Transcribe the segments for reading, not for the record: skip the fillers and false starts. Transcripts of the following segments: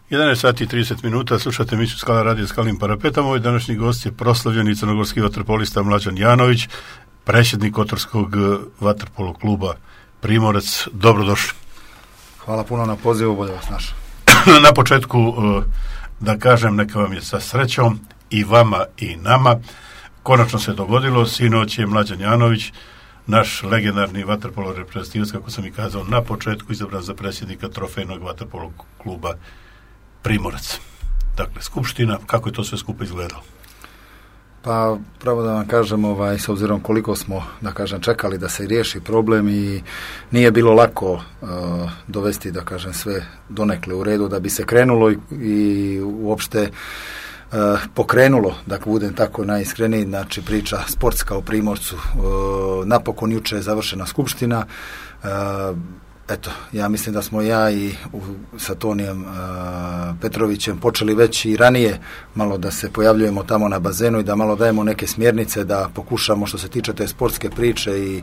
11 sati i 30 minuta, slušate emisiju Skala radio Skalim parapetom. Moj današnji gost je proslavljeni crnogorski vaterpolista Mlađan Janović, predsjednik Kotorskog vaterpolo kluba Primorac. Dobrodošli. Hvala puno na pozivu, bolje vas našao. Na početku da kažem, neka vam je sa srećom i vama i nama. Konačno se dogodilo, sinoć je Mlađan Janović, naš legendarni vaterpolo reprezentativac, kako sam i kazao na početku, izabran za predsjednika trofejnog vaterpolo kluba Primorac. Dakle, skupština, kako je to sve skupo izgledalo? Pa, pravo da vam kažem, s obzirom koliko smo, da kažem, čekali da se riješi problem i nije bilo lako dovesti, da kažem, sve donekle u redu da bi se krenulo i uopšte pokrenulo, da budem tako najiskreniji, znači priča sportska u Primorcu. Napokon juče je završena skupština. Eto, ja mislim da smo ja i sa Tonijem Petrovićem počeli već i ranije malo da se pojavljujemo tamo na bazenu i da malo dajemo neke smjernice, da pokušamo što se tiče te sportske priče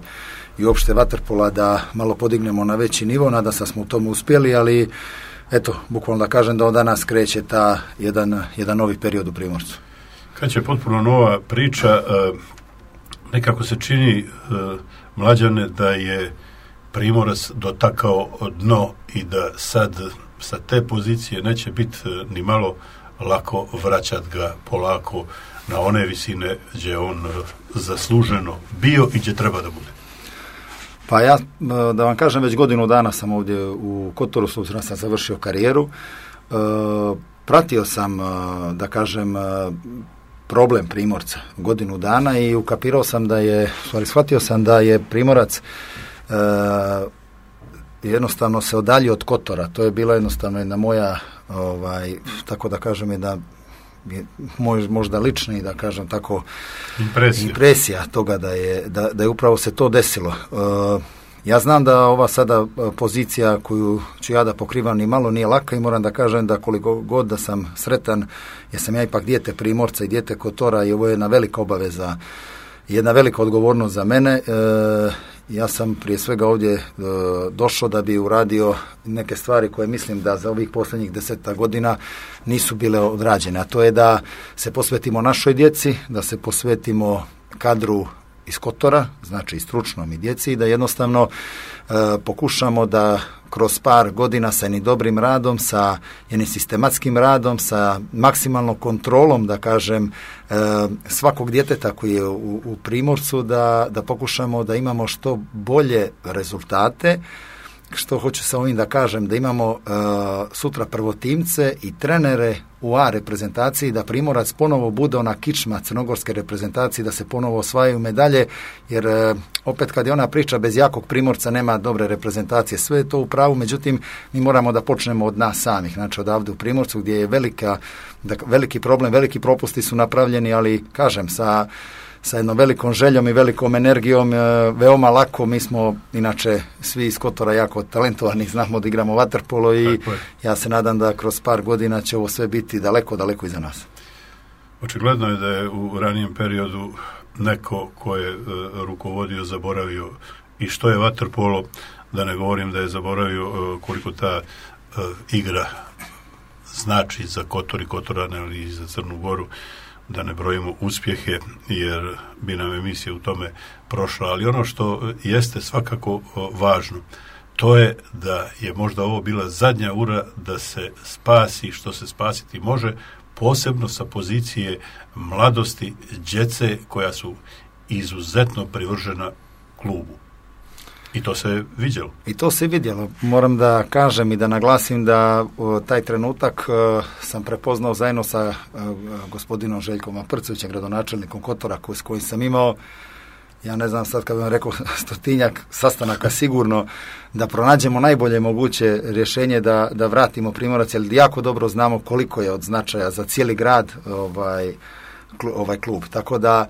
i uopšte vaterpola da malo podignemo na veći nivo. Nadam se da smo u tomu uspjeli, ali eto, bukvalno da kažem da od danas kreće ta jedan novi period u Primorcu. Kad će potpuno nova priča, nekako se čini, Mlađane, da je Primorac dotakao dno i da sad sa te pozicije neće biti ni malo lako vraćati ga polako na one visine gdje on zasluženo bio i gdje treba da bude. Pa ja, da vam kažem, već godinu dana sam ovdje u Kotoru, s obzirom sam završio karijeru. Pratio sam, da kažem, problem Primorca godinu dana i ukapirao sam shvatio sam da je Primorac jednostavno se odaljio od Kotora. To je bila jednostavno jedna moja, tako da kažem, jedna možda lična i da kažem tako impresija toga da je upravo se to desilo. Ja znam da ova sada pozicija koju ću ja da pokrivam ni malo nije laka i moram da kažem da koliko god da sam sretan, jer sam ja ipak dijete Primorca i dijete Kotora i ovo je jedna velika obaveza, jedna velika odgovornost za mene. Ja sam prije svega ovdje došao da bi uradio neke stvari koje mislim da za ovih posljednjih 10 godina nisu bile odrađene, a to je da se posvetimo našoj djeci, da se posvetimo kadru iz Kotora, znači i stručnom i djeci, i da jednostavno pokušamo da kroz par godina sa jednim dobrim radom, sa jednim sistematskim radom, sa maksimalnom kontrolom, da kažem, svakog djeteta koji je u Primorcu, da pokušamo da imamo što bolje rezultate. Što hoću sa ovim da kažem, da imamo sutra prvotimce i trenere u A reprezentaciji, da Primorac ponovo bude ona kičma crnogorske reprezentacije, da se ponovo osvajaju medalje, jer opet kad je ona priča bez jakog Primorca nema dobre reprezentacije, sve je to u pravu, međutim mi moramo da počnemo od nas samih, znači odavde u Primorcu gdje je veliki problem, veliki propusti su napravljeni, ali kažem sa jednom velikom željom i velikom energijom, veoma lako. Mi smo inače svi iz Kotora jako talentovani, znamo da igramo vaterpolo i ja se nadam da kroz par godina će ovo sve biti daleko, daleko iza nas. Očigledno je da je u ranijem periodu neko ko je rukovodio zaboravio i što je vaterpolo, da ne govorim da je zaboravio koliko ta igra znači za Kotor i Kotorane, ali i za Crnu Goru, da ne brojimo uspjehe, jer bi nam emisija u tome prošla. Ali ono što jeste svakako važno, to je da je možda ovo bila zadnja ura da se spasi što se spasiti može, posebno sa pozicije mladosti, djece koja su izuzetno privržena klubu. I to se vidjelo. I to se vidjelo. Moram da kažem i da naglasim da taj trenutak sam prepoznao zajedno sa gospodinom Željkom Aprcovićem, gradonačelnikom Kotora, s kojim sam imao, ja ne znam sad kad bih vam rekao 100 sastanaka sigurno, da pronađemo najbolje moguće rješenje da vratimo Primorac, jer jako dobro znamo koliko je od značaja za cijeli grad ovaj klub. Tako da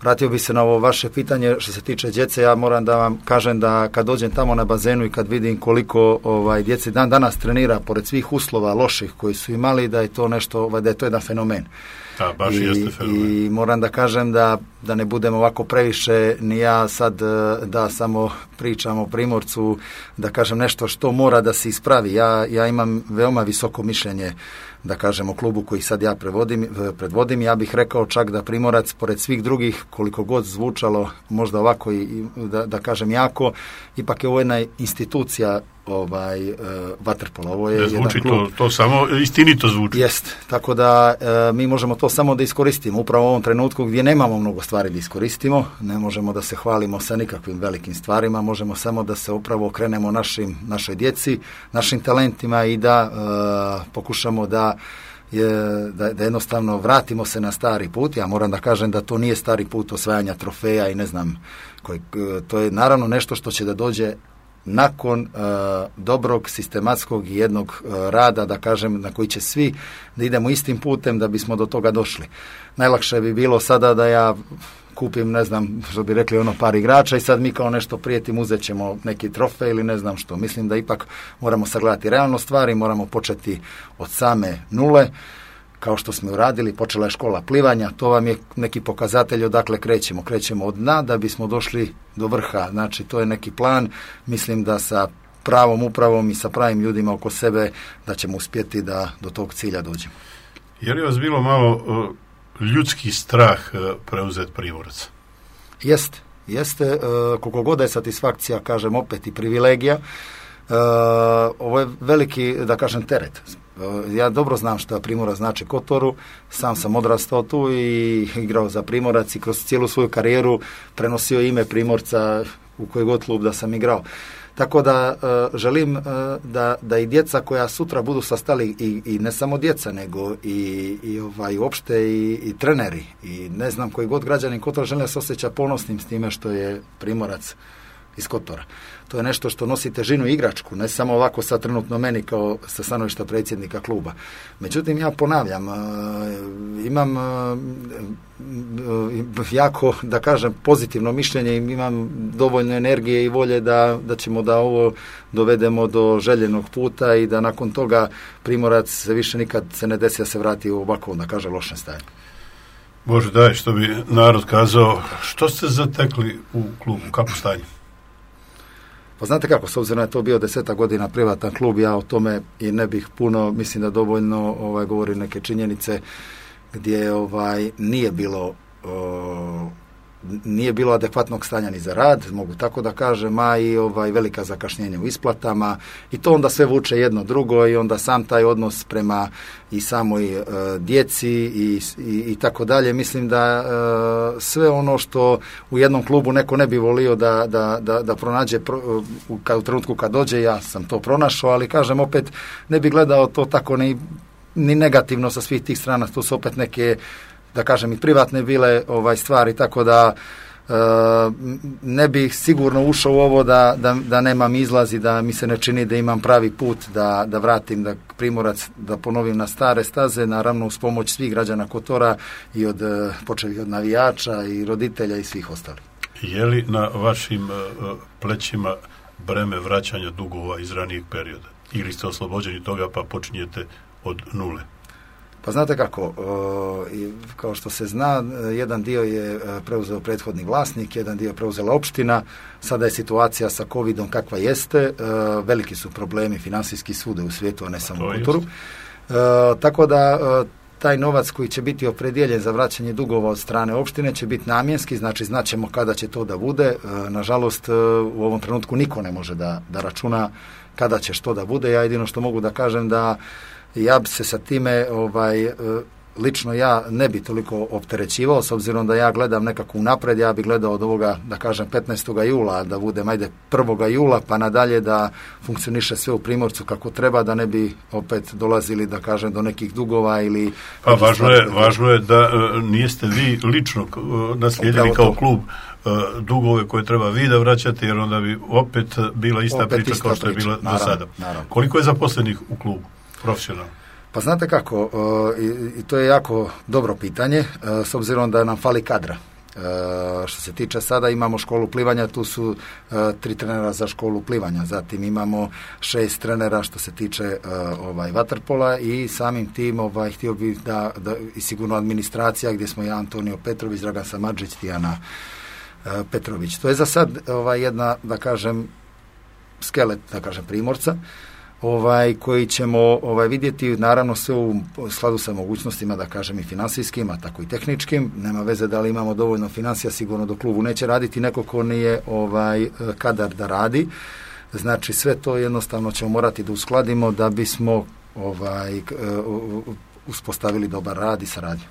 vratio bi se na ovo vaše pitanje što se tiče djece. Ja moram da vam kažem da kad dođem tamo na bazenu i kad vidim koliko djece danas trenira pored svih uslova loših koji su imali, da je to nešto, da je to jedan fenomen. I moram da kažem da da ne budemo ovako previše, ni ja sad da samo pričam o Primorcu, da kažem nešto što mora da se ispravi. Ja imam veoma visoko mišljenje, da kažem, o klubu koji sad ja predvodim. Ja bih rekao čak da Primorac, pored svih drugih, koliko god zvučalo možda ovako i da kažem jako, ipak je ovo jedna institucija vaterpola. Ovo je zvuči to samo istinito zvuči. Jest, tako da mi možemo to samo da iskoristimo upravo u ovom trenutku gdje nemamo mnogo stvari da iskoristimo, ne možemo da se hvalimo sa nikakvim velikim stvarima, možemo samo da se upravo okrenemo našoj djeci, našim talentima i da pokušamo da jednostavno vratimo se na stari put. Ja moram da kažem da to nije stari put osvajanja trofeja i ne znam, to je naravno nešto što će da dođe nakon dobrog, sistematskog i jednog rada, da kažem, na koji će svi da idemo istim putem da bismo do toga došli. Najlakše bi bilo sada da ja kupim, ne znam, što bi rekli, par igrača i sad mi kao nešto prijetim, uzet ćemo neki trofej ili ne znam što. Mislim da ipak moramo sagledati realno stvari, moramo početi od same nule, kao što smo uradili, počela je škola plivanja, to vam je neki pokazatelj odakle krećemo. Krećemo od dna da bismo došli do vrha, znači to je neki plan, mislim da sa pravom upravom i sa pravim ljudima oko sebe da ćemo uspjeti da do tog cilja dođemo. Je li vas bilo malo ljudski strah preuzeti Primorac? Jeste, koliko god je satisfakcija, kažem opet, i privilegija, ovo je veliki, da kažem, teret. Ja dobro znam što Primorac znači Kotoru, sam sam odrastao tu i igrao za Primorac i kroz cijelu svoju karijeru prenosio ime Primorca u koji god klub da sam igrao. Tako da želim da i djeca koja sutra budu sastali i ne samo djeca, nego i uopšte i treneri i ne znam koji god građanin Kotora žele se osjeća ponosnim s time što je Primorac iz Kotora. To je nešto što nosi težinu igračku, ne samo ovako sad trenutno meni kao sa stanovišta predsjednika kluba. Međutim, ja ponavljam, imam jako, da kažem, pozitivno mišljenje i imam dovoljno energije i volje da ćemo da ovo dovedemo do željenog puta i da nakon toga Primorac se više nikad se ne desi da se vrati u ovako, da kaže, lošem stanju. Bože daj, što bi narod kazao, što ste zatekli u klubu, kako stanje? Pa znate kako, s obzirom da je to bio 10 godina privatan klub, ja o tome i ne bih puno, mislim da dovoljno govori neke činjenice gdje nije bilo adekvatnog stanja ni za rad, mogu tako da kažem, a i velika zakašnjenja u isplatama i to onda sve vuče jedno drugo i onda sam taj odnos prema i samoj djeci i tako dalje. Mislim da sve ono što u jednom klubu neko ne bi volio da pronađe u trenutku kad dođe, ja sam to pronašao, ali kažem opet ne bi gledao to tako ni negativno sa svih tih strana, to su opet neke, da kažem, i privatne bile stvari, tako da ne bih sigurno ušao u ovo da nemam izlaz i da mi se ne čini da imam pravi put da vratim da Primorac, da ponovim na stare staze, naravno uz pomoć svih građana Kotora i počeli od navijača i roditelja i svih ostalih. Je li na vašim plećima breme vraćanja dugova iz ranijeg perioda? Ili ste oslobođeni toga pa počinjete od nule? Pa znate kako, kao što se zna, jedan dio je preuzeo prethodni vlasnik, jedan dio je preuzela opština, sada je situacija sa Covidom kakva jeste, veliki su problemi financijski svude u svijetu, a ne samo u Kotoru. Tako da taj novac koji će biti opredijeljen za vraćanje dugova od strane opštine će biti namjenski, znači znaćemo kada će to da bude. Nažalost, u ovom trenutku niko ne može da računa kada će što da bude. Ja jedino što mogu da kažem da ja bi se sa time, lično ja ne bi toliko opterećivao, s obzirom da ja gledam nekako unapred, ja bi gledao od ovoga, da kažem, 15. jula, da budem, 1. jula, pa nadalje da funkcioniše sve u Primorcu kako treba, da ne bi opet dolazili, da kažem, do nekih dugova ili... Pa važno je da niste vi lično naslijedili kao klub dugove koje treba vi da vraćate, jer onda bi opet bila ista priča kao što je bila do sada. Naravno. Koliko je zaposlenih u klubu? Profesionalno? Pa znate kako, i to je jako dobro pitanje, s obzirom da nam fali kadra. Što se tiče sada, imamo školu plivanja, tu su 3 trenera za školu plivanja, zatim imamo 6 trenera što se tiče vaterpola i samim tim htio bih da i sigurno administracija gdje smo ja, Antonio Petrović, Dragan Samardžić, Tijana Petrović. To je za sad jedna, da kažem, skelet, da kažem, Primorca, koji ćemo vidjeti, naravno sve u skladu sa mogućnostima, da kažem, i finansijskim, a tako i tehničkim. Nema veze da li imamo dovoljno financija, sigurno do klubu neće raditi neko ko nije kadar da radi. Znači sve to jednostavno ćemo morati da uskladimo da bismo uspostavili dobar rad i saradnju.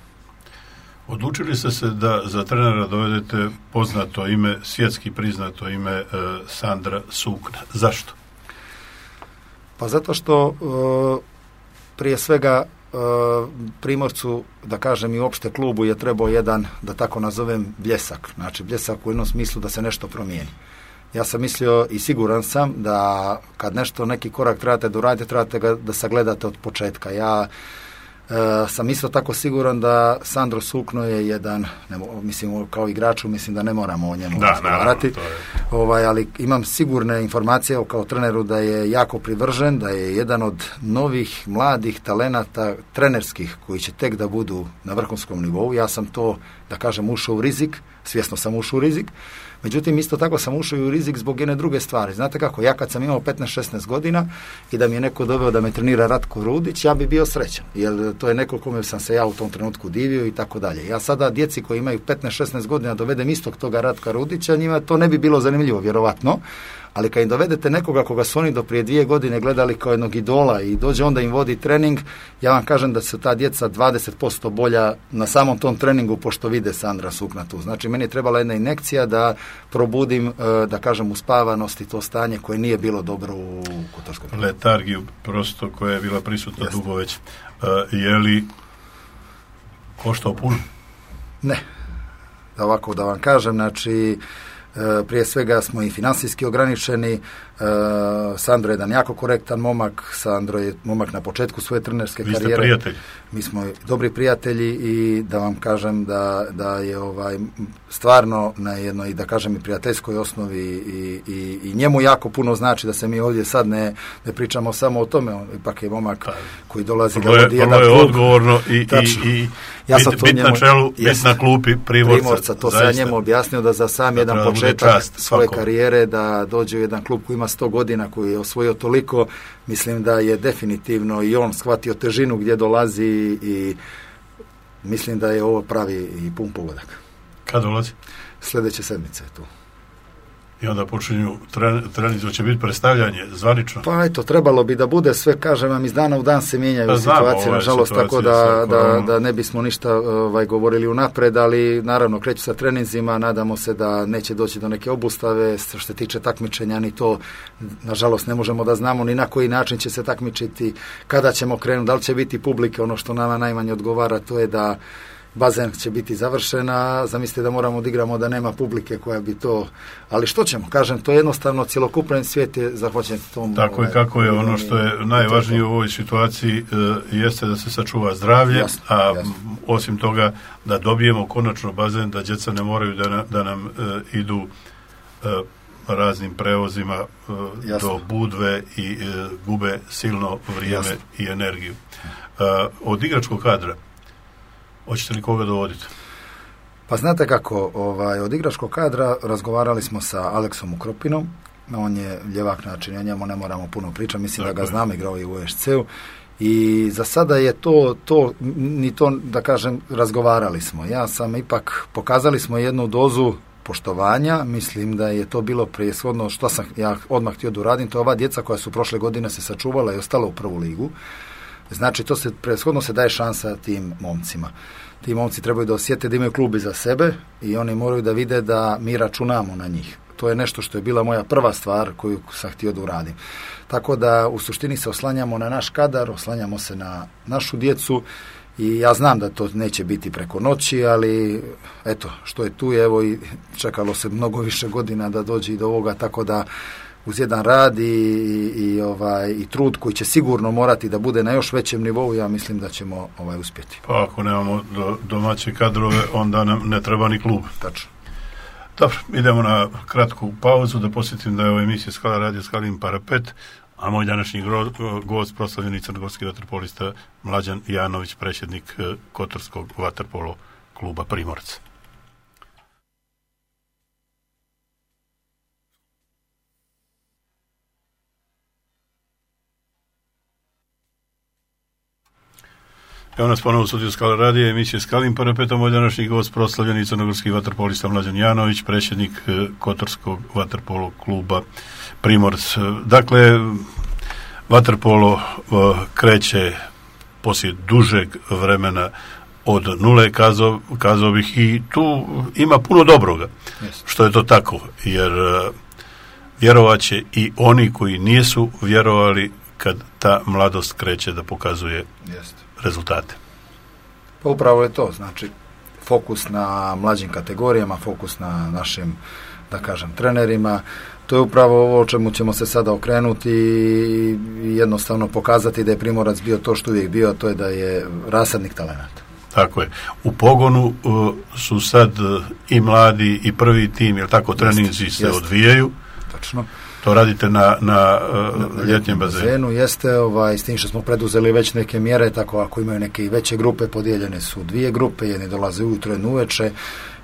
Odlučili ste se da za trenera dovedete poznato ime, svjetski priznato ime Sandra Sukna. Zašto? Pa zato što prije svega Primorcu, da kažem, i uopšte klubu je trebao jedan, da tako nazovem, bljesak. Znači bljesak u jednom smislu da se nešto promijeni. Ja sam mislio i siguran sam da kad nešto, neki korak trebate doraditi, trebate ga da sagledate od početka. Ja sam isto tako siguran da Sandro Sukno je jedan, mislim, kao igraču, mislim da ne moramo o njemu razgovarati, ali imam sigurne informacije kao treneru da je jako privržen, da je jedan od novih mladih talenata trenerskih koji će tek da budu na vrhunskom nivou. Ja sam to, da kažem, ušao u rizik, svjesno sam ušao u rizik. Međutim, isto tako sam ušao i u rizik zbog jedne druge stvari. Znate kako, ja kad sam imao 15-16 godina i da mi je neko doveo da me trenira Ratko Rudić, ja bi bio srećan. Jer to je neko kome sam se ja u tom trenutku divio i tako dalje. Ja sada djeci koji imaju 15-16 godina dovedem istog toga Ratka Rudića, njima to ne bi bilo zanimljivo, vjerovatno. Ali kad im dovedete nekoga koga su oni do prije 2 godine gledali kao jednog idola i dođe onda im vodi trening, ja vam kažem da su ta djeca 20% bolja na samom tom treningu pošto vide Sandra Sukna tu. Znači meni je trebala jedna injekcija da probudim, da kažem, uspavanost i to stanje koje nije bilo dobro u Kotorskom. Letargiju prosto koja je bila prisutna dugo već. Je li koštao puno? Ne. Ovako da vam kažem, znači prije svega smo i finansijski ograničeni. Sandro je jedan jako korektan momak. Sandro je momak na početku svoje trenerske karijere. Vi ste prijatelji. Mi smo dobri prijatelji i da vam kažem da je stvarno na jednoj, da kažem, i prijateljskoj osnovi i njemu jako puno znači da se mi ovdje sad ne pričamo samo o tome. On ipak je momak koji dolazi da vodi jedan klub. Vrlo je odgovorno i bit na čelu, bit na klupi Primorca. To sam ja njemu objasnio da za sam jedan početak svoje karijere da dođe u jedan klub koji ima 100 godina, koji je osvojio toliko, mislim da je definitivno i on shvatio težinu gdje dolazi i mislim da je ovo pravi i pun pogodak. Kad dolazi? Sljedeće sedmice je tu. I onda počinju treninzi, će biti predstavljanje zvanično? Pa eto, trebalo bi da bude sve, kažem vam, iz dana u dan se mijenjaju situacije, nažalost, tako da ne bismo ništa govorili unapred, ali naravno kreću sa treninzima, nadamo se da neće doći do neke obustave, što se tiče takmičenja, ni to, nažalost, ne možemo da znamo ni na koji način će se takmičiti, kada ćemo krenuti, da li će biti publike, ono što nama najmanje odgovara, to je da bazen će biti završena, zamislite da moramo da igramo da nema publike koja bi to, ali što ćemo, kažem, to je jednostavno cjelokupan svijet je zahvaćen tom. Tako i kako je ono što je najvažnije u ovoj situaciji jeste da se sačuva zdravlje, jasno. Osim toga da dobijemo konačno bazen, da djeca ne moraju da nam idu raznim prevozima do Budve i gube silno vrijeme, jasno, i energiju. Od igračkog kadra hoćete li koga dovoditi? Pa znate kako, od igračkog kadra razgovarali smo sa Aleksom Ukropinom, on je ljevak, znači o njemu ne moramo puno pričati, mislim da ga znam, igrao i u EŠC-u i za sada je to, da kažem, razgovarali smo. Ja sam ipak, pokazali smo jednu dozu poštovanja, mislim da je to bilo preshodno što sam ja odmah htio da uradim, to je ova djeca koja su prošle godine se sačuvala i ostala u prvu ligu. Znači, to se preshodno se daje šansa tim momcima. Ti momci trebaju da osjete da imaju klub iza sebe i oni moraju da vide da mi računamo na njih. To je nešto što je bila moja prva stvar koju sam htio da uradim. Tako da u suštini se oslanjamo na naš kadar, oslanjamo se na našu djecu i ja znam da to neće biti preko noći, ali eto, što je tu, evo i čekalo se mnogo više godina da dođe i do ovoga, tako da uz jedan rad i trud koji će sigurno morati da bude na još većem nivou, ja mislim da ćemo uspjeti. Pa ako nemamo domaće kadrove, onda nam ne treba ni klub. Tačno. Dobro, idemo na kratku pauzu, da posjetim da je ova emisija Skala radio Skalin Parapet, a moj današnji gost, proslavljeni crnogorski vaterpolista Mlađan Janović, predsjednik Kotorskog vaterpolo kluba Primorac. Evo nas ponovo u studiju Skala radija, emisije Skalin Parapetom, moj današnji gost, proslavljeni crnogorski vaterpolista Mlađan Janović, predsjednik Kotorskog vaterpolo kluba Primorac. Dakle, vaterpolo kreće poslije dužeg vremena od nule, kazao bih, i tu ima puno dobroga, što je to tako, jer vjerovat će i oni koji nisu vjerovali kad ta mladost kreće da pokazuje rezultate. Pa upravo je to, znači fokus na mlađim kategorijama, fokus na našim, da kažem, trenerima, to je upravo ovo o čemu ćemo se sada okrenuti i jednostavno pokazati da je Primorac bio to što uvijek bio, a to je da je rasadnik talenata. Tako je. U pogonu su sad i mladi i prvi tim, jer tako treninzi se odvijaju. Tačno. To radite na ljetnjem bazenu. Jeste, s tim što smo preduzeli već neke mjere, tako ako imaju neke veće grupe, podijeljene su 2 grupe, jedni dolaze ujutro, jedni uveče.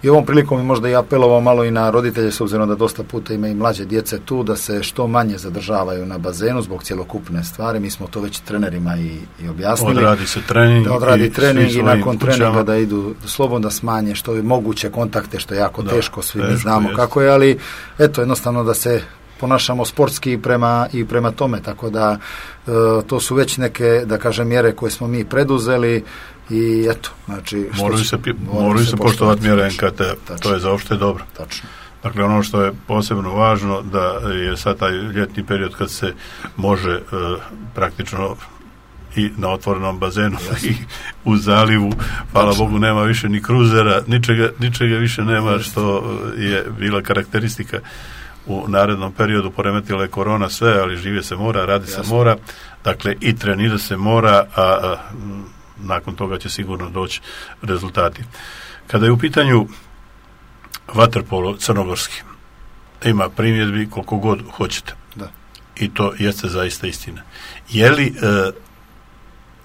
I ovom prilikom je možda i apelovao malo i na roditelje, s obzirom da dosta puta ima i mlađe djece tu, da se što manje zadržavaju na bazenu zbog cjelokupne stvari. Mi smo to već trenerima i objasnili. Odradi se trening. Da odradi trening i nakon treninga da idu slobodno, da smanje što je moguće kontakte, što je jako teško, svi mi znamo kako je, ali eto, jednostavno da se ponašamo sportski i prema tome, tako da to su već neke, da kažem, mjere koje smo mi preduzeli i eto, znači moraju se poštovati mjere NKT, to je za opšte dobro. Tačno. Dakle, ono što je posebno važno, da je sad taj ljetni period kad se može praktično i na otvorenom bazenu i u zalivu, hvala Bogu, nema više ni kruzera, ničega više nema, što je bila karakteristika u narednom periodu. Poremetila je korona sve, ali žive se mora, radi se mora, dakle i trenira se mora, a nakon toga će sigurno doći rezultati. Kada je u pitanju vaterpolo crnogorski, ima primjedbi koliko god hoćete. Da. I to jeste zaista istina. Je li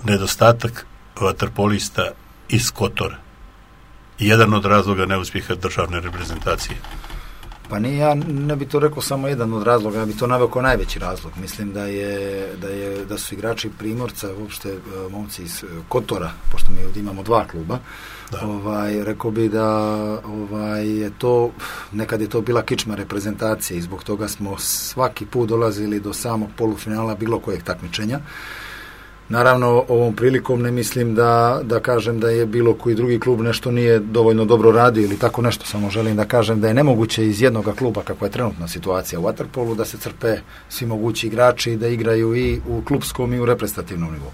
nedostatak vaterpolista iz Kotora jedan od razloga neuspjeha državne reprezentacije? Pa nije, ja ne bi to rekao samo jedan od razloga, ja bi to naveo kao najveći razlog. Mislim da su igrači Primorca, uopšte momci iz Kotora, pošto mi ovdje imamo 2 kluba, rekao bi da je to, nekad je to bila kičma reprezentacije i zbog toga smo svaki put dolazili do samog polufinala bilo kojeg takmičenja. Naravno, ovom prilikom ne mislim da kažem da je bilo koji drugi klub nešto nije dovoljno dobro radio ili tako nešto, samo želim da kažem da je nemoguće iz jednog kluba, kakva je trenutna situacija u vaterpolu, da se crpe svi mogući igrači i da igraju i u klubskom i u reprezentativnom nivou.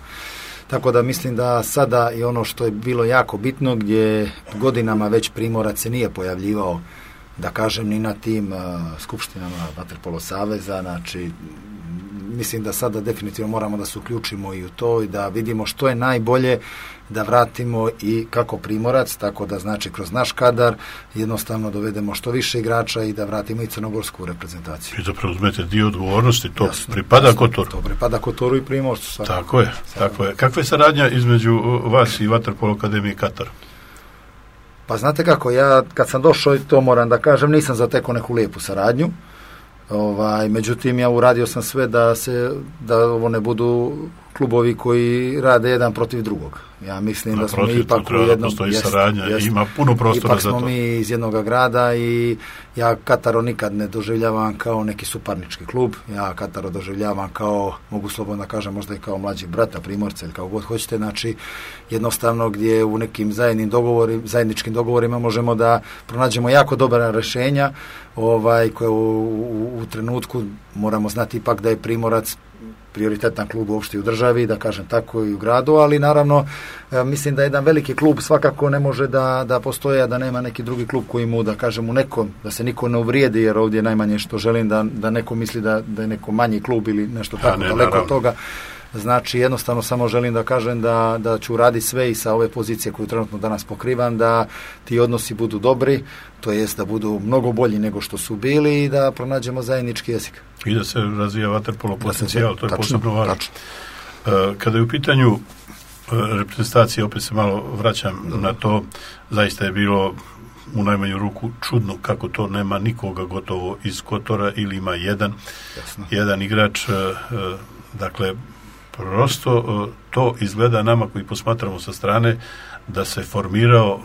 Tako da mislim da sada i ono što je bilo jako bitno, gdje godinama već Primorac se nije pojavljivao, da kažem, ni na tim skupštinama vaterpolo saveza, znači mislim da sada definitivno moramo da se uključimo i u to i da vidimo što je najbolje, da vratimo i kako Primorac, tako da znači kroz naš kadar jednostavno dovedemo što više igrača i da vratimo i crnogorsku reprezentaciju. I da preuzmete dio odgovornosti, to pripada Kotoru. To pripada Kotoru i Primorcu. Tako je. Kakva je saradnja između vas i Vaterpolo Akademije Katar? Pa znate kako, ja kad sam došao, to moram da kažem, nisam zatekao neku lijepu saradnju. Međutim, ja uradio sam sve da ovo ne budu klubovi koji rade jedan protiv drugog. Ja mislim da smo mi ipak u jednom... Ima puno prostora za to. Ipak smo mi iz jednog grada i ja Kataro nikad ne doživljavam kao neki suparnički klub. Ja Kataro doživljavam kao, mogu slobodno kažem, možda i kao mlađih brata Primorca ili kao god hoćete. Znači, jednostavno gdje u nekim zajedničkim dogovorima možemo da pronađemo jako dobra rješenja koje u trenutku moramo znati ipak da je Primorac prioritetan klub uopšte u državi, da kažem tako i u gradu, ali naravno mislim da jedan veliki klub svakako ne može da postoje, a da nema neki drugi klub koji mu, da kažem, u nekom, da se niko ne uvrijedi, jer ovdje najmanje što želim da neko misli da je neko manji klub ili nešto tako daleko od toga. Znači, jednostavno samo želim da kažem da ću raditi sve i sa ove pozicije koju trenutno danas pokrivam, da ti odnosi budu dobri, to jest da budu mnogo bolji nego što su bili i da pronađemo zajednički jezik. I da se razvija vaterpolo potencijal, to je posebno važno. Kada je u pitanju reprezentacije, opet se malo vraćam na to, zaista je bilo u najmanju ruku čudno kako to nema nikoga gotovo iz Kotora ili ima jedan igrač, dakle prosto to izgleda nama koji posmatramo sa strane da se formirao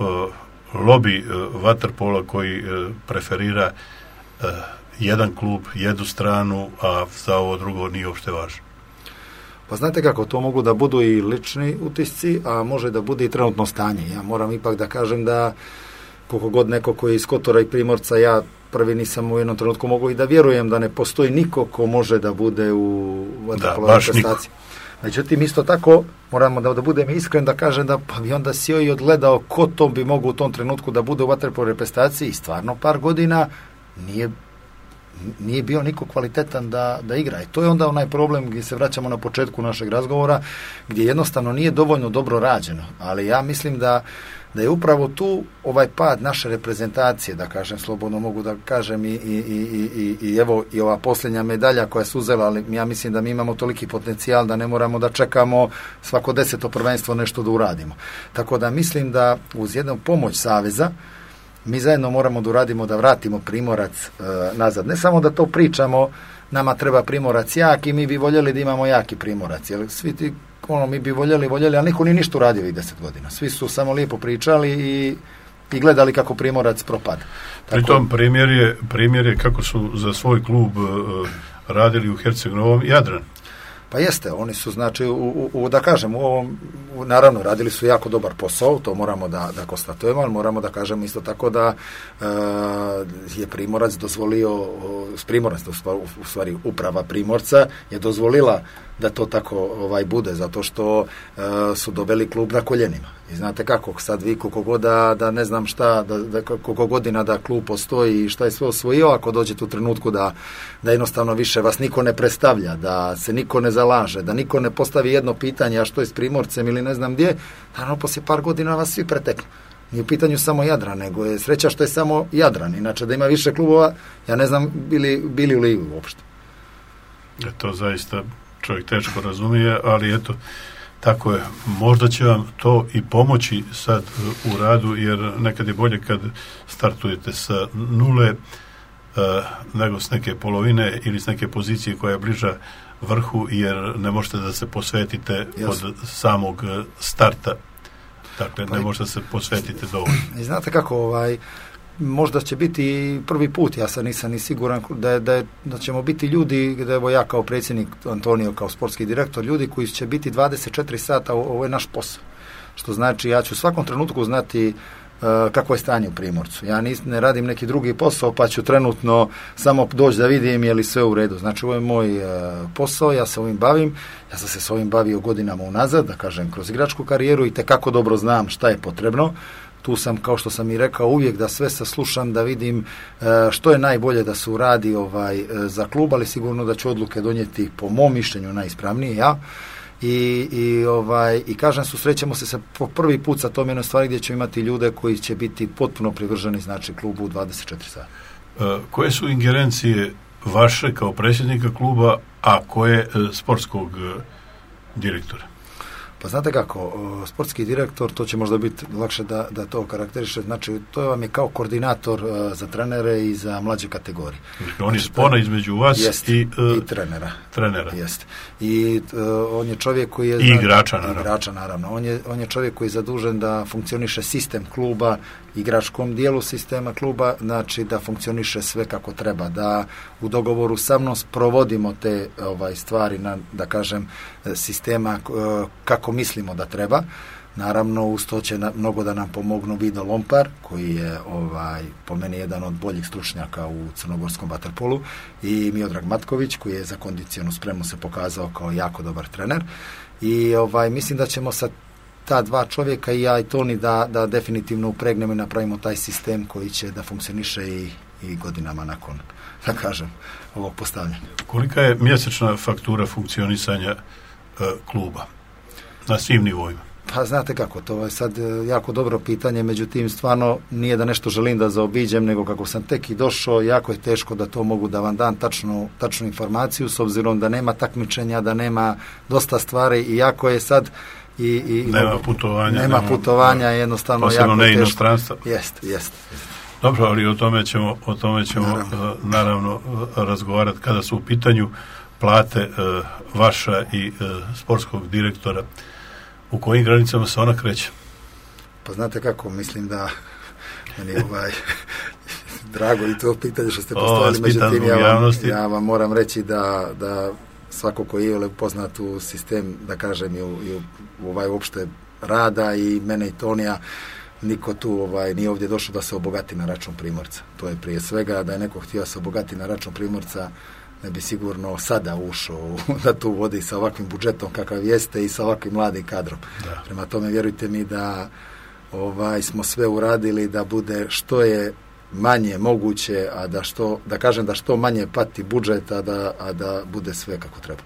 lobi vaterpola koji preferira jedan klub, jednu stranu, a za ovo drugo nije uopšte važno. Pa znate kako, to mogu da budu i lični utisci, a može da bude i trenutno stanje. Ja moram ipak da kažem da koliko god neko koji je iz Kotora i Primorca, ja prvi nisam u jednom trenutku mogu i da vjerujem da ne postoji niko ko može da bude u vaterpolovoj prestaciji. Međutim, isto tako, moramo da budem iskren da kažem da pa bi onda sjeo i odgledao ko to bi mogu u tom trenutku da bude u vaterpolovoj reprezentaciji i stvarno par godina nije bio niko kvalitetan da igra. I to je onda onaj problem gdje se vraćamo na početku našeg razgovora, gdje jednostavno nije dovoljno dobro rađeno. Ali ja mislim da je upravo tu ovaj pad naše reprezentacije, da kažem, slobodno mogu da kažem i evo i ova posljednja medalja koja se uzela, ali ja mislim da mi imamo toliki potencijal da ne moramo da čekamo svako 10. prvenstvo nešto da uradimo. Tako da mislim da uz jednu pomoć Saveza mi zajedno moramo da uradimo da vratimo Primorac nazad. Ne samo da to pričamo, nama treba Primorac jak i mi bi voljeli da imamo jaki Primorac, jer svi ti mi bi voljeli, ali niko nije ništa uradio ovih 10 godina. Svi su samo lijepo pričali i gledali kako Primorac propada. Pritom primjer je kako su za svoj klub radili u Herceg-Novom Jadran. Pa jeste, oni su, znači, da kažem, naravno, radili su jako dobar posao, to moramo da konstatujemo, ali moramo da kažemo isto tako da je Primorac dozvolio, u stvari uprava Primorca je dozvolila da to tako bude, zato što su doveli klub na koljenima. I znate kako, sad vi koliko god da ne znam šta, koliko godina da klub postoji i šta je sve osvojio, ako dođete u trenutku da jednostavno više vas niko ne predstavlja, da se niko ne zalaže, da niko ne postavi jedno pitanje, a što je s Primorcem ili ne znam gdje, naravno poslije par godina vas svi preteknu. Nije u pitanju samo Jadran, nego je sreća što je samo Jadran. Inače da ima više klubova, ja ne znam bili u ligi uopšte. To zaista čovjek teško razumije, ali eto, tako je. Možda će vam to i pomoći sad u radu, jer nekad je bolje kad startujete sa nule nego s neke polovine ili s neke pozicije koja je bliža vrhu, jer ne možete da se posvetite od samog starta. Dakle, ne možete da se posvetite dovoljno. I znate kako, možda će biti prvi put, ja sad nisam ni siguran da ćemo biti ljudi, da evo ja kao predsjednik, Antonio kao sportski direktor, ljudi koji će biti 24 sata, ovo je naš posao. Što znači, ja ću u svakom trenutku znati kako je stanje u Primorcu. Ja ne radim neki drugi posao, pa ću trenutno samo doći da vidim je li sve u redu. Znači, ovo je moj posao, ja se ovim bavim, ja sam se s ovim bavio godinama unazad, da kažem, kroz igračku karijeru i tekako dobro znam šta je potrebno. Tu sam, kao što sam i rekao, uvijek da sve saslušam, da vidim što je najbolje da se uradi za klub, ali sigurno da ću odluke donijeti po mom mišljenju najispravnije ja. I kažem, susrećemo se po prvi put sa tom jednoj stvari gdje ćemo imati ljude koji će biti potpuno privrženi, znači, klubu u 24 sata. Koje su ingerencije vaše kao predsjednika kluba, a koje sportskog direktora? Pa znate kako, sportski direktor, to će možda biti lakše da to karakteriše, znači to vam je kao koordinator za trenere i za mlađe kategorije. On je spona između vas i trenera. Jeste. I on je čovjek koji je... I igrača, naravno. On je čovjek koji je zadužen da funkcioniše sistem kluba, igračkom dijelu sistema kluba, znači da funkcioniše sve kako treba, da u dogovoru sa mnom provodimo te stvari na, da kažem, sistema kako mislimo da treba. Naravno, uz to će mnogo da nam pomognu Vido Lompar, koji je po meni jedan od boljih stručnjaka u crnogorskom vaterpolu, i Miodrag Matković, koji je za kondicionu spremu se pokazao kao jako dobar trener. I mislim da ćemo sa ta dva čovjeka, i ja i Toni, da definitivno upregnemo i napravimo taj sistem koji će da funkcioniše i godinama nakon, da kažem, ovog postavljanja. Kolika je mjesečna faktura funkcionisanja kluba na svim nivoima? Pa znate kako, to je sad jako dobro pitanje, međutim stvarno nije da nešto želim da zaobiđem, nego kako sam tek i došao, jako je teško da to mogu da vam dam tačnu informaciju, s obzirom da nema takmičenja, da nema dosta stvari, i jako je sad nema putovanja, jednostavno posebno jako ne teško. Inostranstva. Jest. Dobro, ali o tome ćemo naravno razgovarati kada su u pitanju plate vaša i sportskog direktora. U kojim granicama se ona kreće? Pa znate kako, mislim da meni je drago i to pitanje što ste postavili, međutim ja vam moram reći da svako koji je upoznat u sistem, da kažem, i u uopšte rada, i mene i Tonija, niko tu nije ovdje došao da se obogati na račun Primorca. To je prije svega, da je neko htio se obogati na račun Primorca, ne bi sigurno sada ušao da tu vodi sa ovakvim budžetom kakav jeste i sa ovakvim mladim kadrom. Da. Prema tome, vjerujte mi da smo sve uradili da bude što je manje moguće, a da što manje pati budžet, a da bude sve kako treba.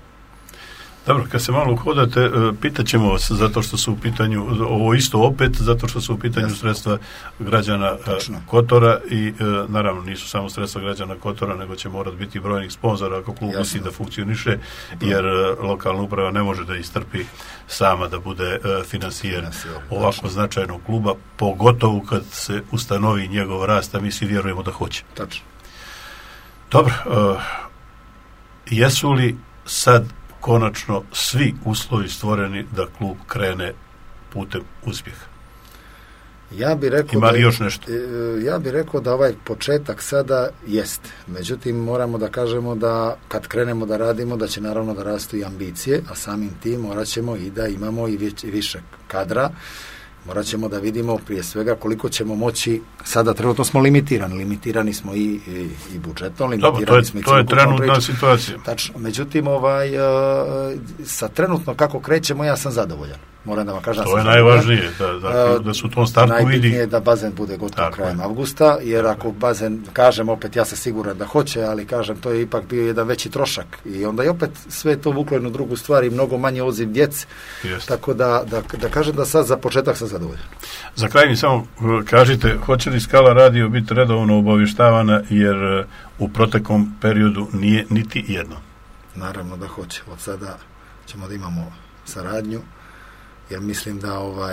Dobro, kad se malo uhodate, pitat ćemo vas, zato što su u pitanju, ovo isto opet, zato što su u pitanju sredstva građana Kotora, i naravno nisu samo sredstva građana Kotora, nego će morati biti brojnih sponzora ako klub misli da funkcioniše, jer lokalna uprava ne može da istrpi sama da bude finansijer ovako značajnog kluba, pogotovo kad se ustanovi njegov rast, a mi svi vjerujemo da hoće. Tačno. Dobro, jesu li sad konačno svi uslovi stvoreni da klub krene putem uspjeha? Ima li još nešto? Ja bih rekao da ovaj početak sada jest. Međutim, moramo da kažemo da kad krenemo da radimo, da će naravno da rastu i ambicije, a samim tim morat ćemo i da imamo i više kadra. Morat ćemo da vidimo prije svega koliko ćemo moći. Sada trenutno smo limitirani smo i budžetom, limitirani smo i to je trenutna situacija. Tačno. Međutim, sa trenutno kako krećemo, ja sam zadovoljan. Moram da vam kažem. To je najvažnije, da su u tom startu vidi. Najbitnije je da bazen bude gotov krajem avgusta, jer ako bazen, kažem opet, ja sam siguran da hoće, ali kažem, to je ipak bio jedan veći trošak, i onda je opet sve to vuklo jednu drugu stvar i mnogo manje odziv djeci. Tako da kažem da sad za početak sam zadovoljan. Za kraj mi samo kažite, hoće li Skala radio biti redovno obavještavana, jer u proteklom periodu nije niti jedno? Naravno da hoće. Od sada ćemo da imamo saradnju, jer mislim da,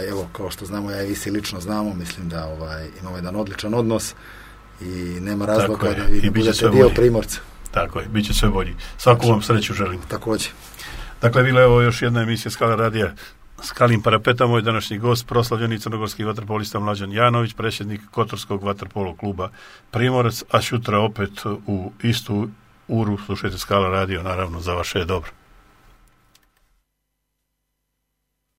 evo, kao što znamo, ja i vi si lično znamo, mislim da imamo jedan odličan odnos i nema razloga da vi ne budete dio Primorca. Tako je, bit će sve bolji. Svaku vam sreću želim. Također. Dakle, bila je ovo još jedna emisija Skala radija. Skalim parapeta, moj današnji gost, proslavljeni crnogorski vaterpolista Mlađan Janović, predsjednik Kotorskog vaterpolo kluba Primorac, a sutra opet u istu uru slušajte Skala radio, naravno za vaše dobro.